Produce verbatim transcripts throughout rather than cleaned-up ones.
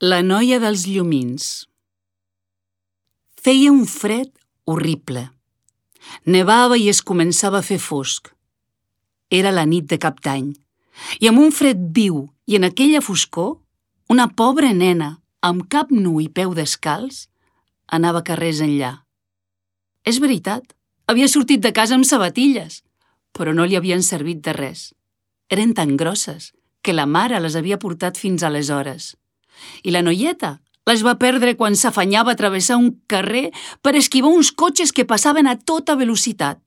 La noia dels llumins. Feia un fred horrible. Nevava i es començava a fer fosc. Era la nit de Cap d'Any, i amb un fred viu i en aquella foscor, una pobra nena, amb cap nu i peu descalç, anava carrers enllà. És veritat, havia sortit de casa amb sabatilles, però no li havien servit de res. Eren tan grosses que la mare les havia portat fins aleshores. I la noieta les va perdre quan s'afanyava a travessar un carrer per esquivar uns cotxes que passaven a tota velocitat.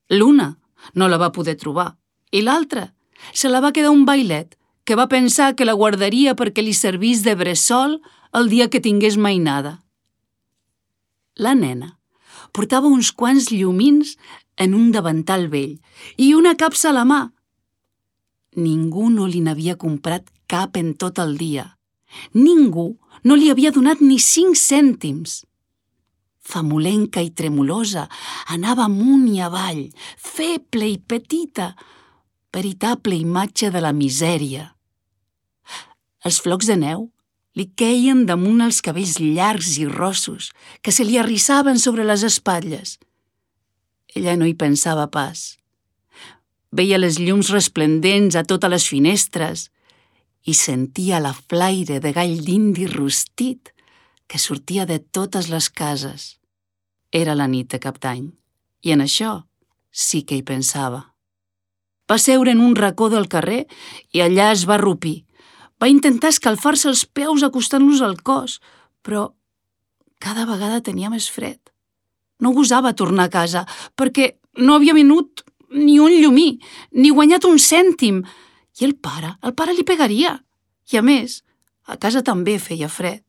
L'una no la va poder trobar i l'altra se la va quedar un bailet que va pensar que la guardaria perquè li servís de bressol el dia que tingués mainada. La nena portava uns quants llumins en un davantal vell i una capsa a la mà. Ningú no li n'havia comprat cap en tot el dia. Ningú no li havia donat ni cinc cèntims. Famolenca i tremolosa, anava amunt i avall, feble i petita, veritable imatge de la misèria. Els flocs de neu li queien damunt els cabells llargs i rossos que se li arrissaven sobre les espatlles. Ella no hi pensava pas. Veia les llums resplendents a totes les finestres i sentia la flaire de gall d'indi rostit que sortia de totes les cases. Era la nit de Cap d'Any, i en això sí que hi pensava. Va seure en un racó del carrer i allà es va arrupir. Va intentar escalfar-se els peus acostant-los al cos, però cada vegada tenia més fred. No gosava tornar a casa perquè no havia venut ni un llumí, ni guanyat un cèntim. I el pare, el pare li pegaria. I a més, a casa també feia fred.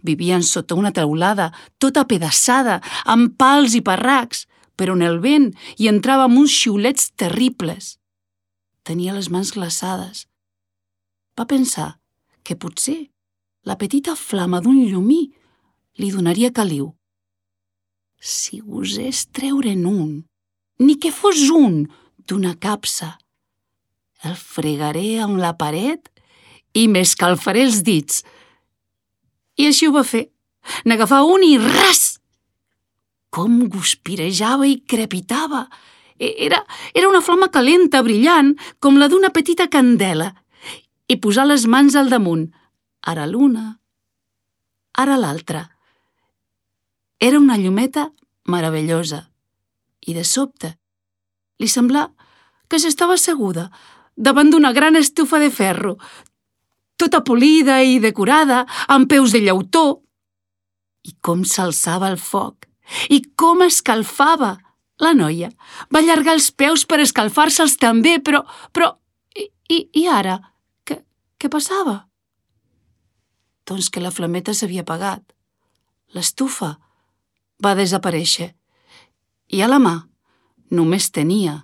Vivien sota una teulada, tota apedaçada, amb pals i parracs, però on el vent hi entrava amb uns xiulets terribles. Tenia les mans glaçades. Va pensar que potser la petita flama d'un llumí li donaria caliu. Si gosés treure'n un, ni que fos un d'una capsa, el fregaré amb la paret i m'escalfaré els dits. I així ho va fer. N'agafà un i ras! Com guspirejava i crepitava. Era, era una flama calenta, brillant, com la d'una petita candela. I posà les mans al damunt. Ara l'una, ara l'altra. Era una llumeta meravellosa. I de sobte li semblà que s'estava asseguda davant d'una gran estufa de ferro, tota polida i decorada, amb peus de llautó. I com s'alçava el foc, i com escalfava! La noia va allargar els peus per escalfar-se'ls també, però... però... I, i, i ara? Què, què passava? Doncs que la flameta s'havia apagat. L'estufa va desaparèixer. I a la mà només tenia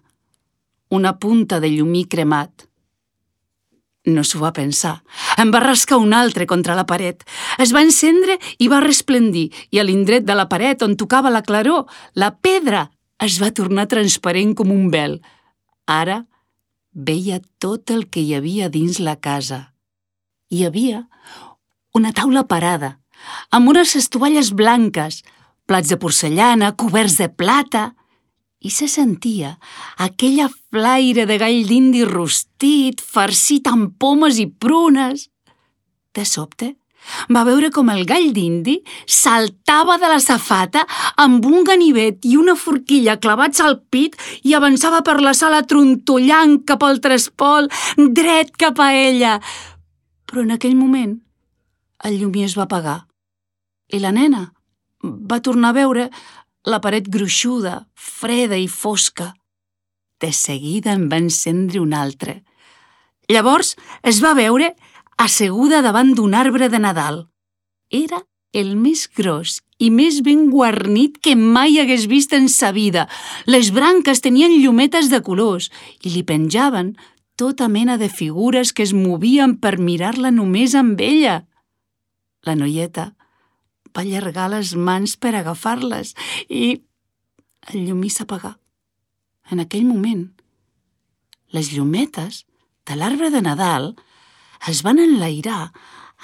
una punta de llumí cremat. No s'ho va pensar. En va rascar un altre contra la paret. Es va encendre i va resplendir, i a l'indret de la paret on tocava la claror, la pedra es va tornar transparent com un vel. Ara veia tot el que hi havia dins la casa. Hi havia una taula parada, amb unes estovalles blanques, plats de porcellana, coberts de plata, i se sentia aquella flaire de gall d'indi rostit, farcit amb pomes i prunes. De sobte, va veure com el gall d'indi saltava de la safata amb un ganivet i una forquilla clavats al pit i avançava per la sala trontollant cap al trespol, dret cap a ella. Però en aquell moment el llumí es va apagar i la nena va tornar a veure la paret gruixuda, freda i fosca. De seguida en va encendre un altre. Llavors es va veure asseguda davant d'un arbre de Nadal. Era el més gros i més ben guarnit que mai hagués vist en sa vida. Les branques tenien llumetes de colors i li penjaven tota mena de figures que es movien per mirar-la només amb ella. La noieta va allargar les mans per agafar-les i el llumí s'apagà. En aquell moment, les llumetes de l'arbre de Nadal es van enlairar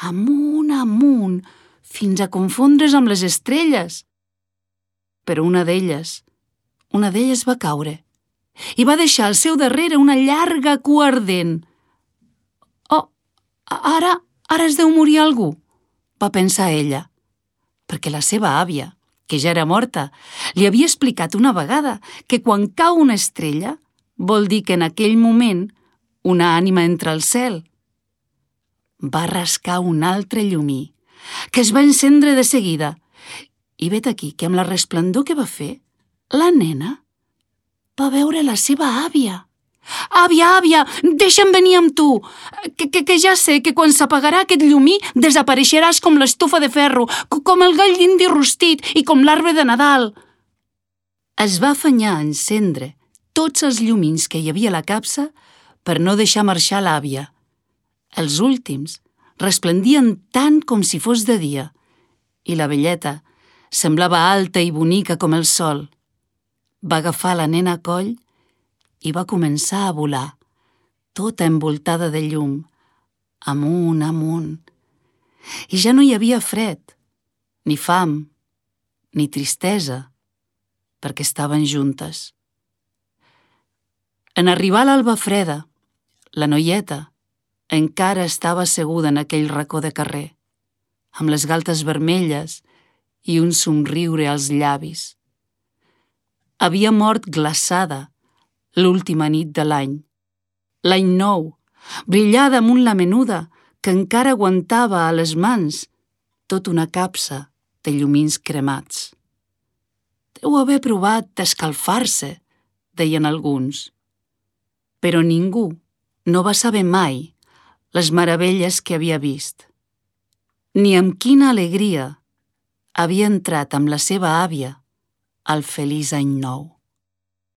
amunt, amunt, fins a confondre's amb les estrelles. Però una d'elles, una d'elles va caure i va deixar al seu darrere una llarga cua ardent. «Oh, ara, ara es deu morir algú», va pensar ella, perquè la seva àvia, que ja era morta, li havia explicat una vegada que quan cau una estrella vol dir que en aquell moment una ànima entra al cel. Va rascar un altre llumí, que es va encendre de seguida, i vet aquí que amb la resplendor que va fer, la nena va veure la seva àvia. «Àvia, àvia, deixa'm venir amb tu, que, que, que ja sé que quan s'apagarà aquest llumí desapareixeràs com l'estufa de ferro, com el gall d'indi rostit i com l'arbre de Nadal». Es va afanyar a encendre tots els llumins que hi havia a la capsa per no deixar marxar l'àvia. Els últims resplendien tant com si fos de dia i la velleta semblava alta i bonica com el sol. Va agafar la nena a coll i va començar a volar, tota envoltada de llum, amunt, amunt. I ja no hi havia fred, ni fam, ni tristesa, perquè estaven juntes. En arribar l'alba freda, la noieta encara estava asseguda en aquell racó de carrer, amb les galtes vermelles i un somriure als llavis. Havia mort glaçada l'última nit de l'any. L'any nou, brillada amunt la menuda, que encara aguantava a les mans tot una capsa de llumins cremats. Deu haver provat d'escalfar-se, deien alguns. Però ningú no va saber mai les meravelles que havia vist, ni amb quina alegria havia entrat amb la seva àvia al feliç any nou.